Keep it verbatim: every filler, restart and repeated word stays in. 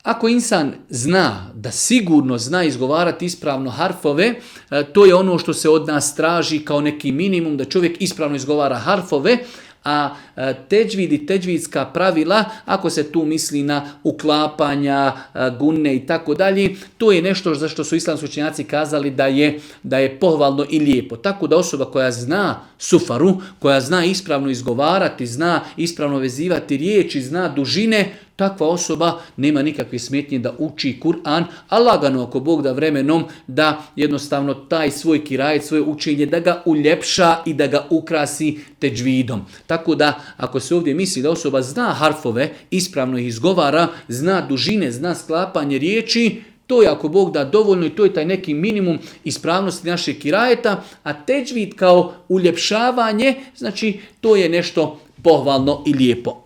Ako insan zna da sigurno zna izgovarati ispravno harfove, to je ono što se od nas traži kao neki minimum, da čovjek ispravno izgovara harfove, a teđvid i teđvidska pravila, ako se tu misli na uklapanja, gunne i tako dalje, to je nešto za što su islamski učenjaci kazali da je, da je pohvalno i lijepo. Tako da osoba koja zna sufaru, koja zna ispravno izgovarati, zna ispravno vezivati riječi, zna dužine, takva osoba nema nikakve smetnje da uči Kur'an, a lagano ako Bog da vremenom da jednostavno taj svoj kirajet, svoje učenje, da ga uljepša i da ga ukrasi teđvidom. Tako da ako se ovdje misli da osoba zna harfove, ispravno ih izgovara, zna dužine, zna sklapanje riječi, to je ako Bog da dovoljno i to je taj neki minimum ispravnosti našeg kirajeta, a teđvid kao uljepšavanje, znači to je nešto pohvalno i lijepo.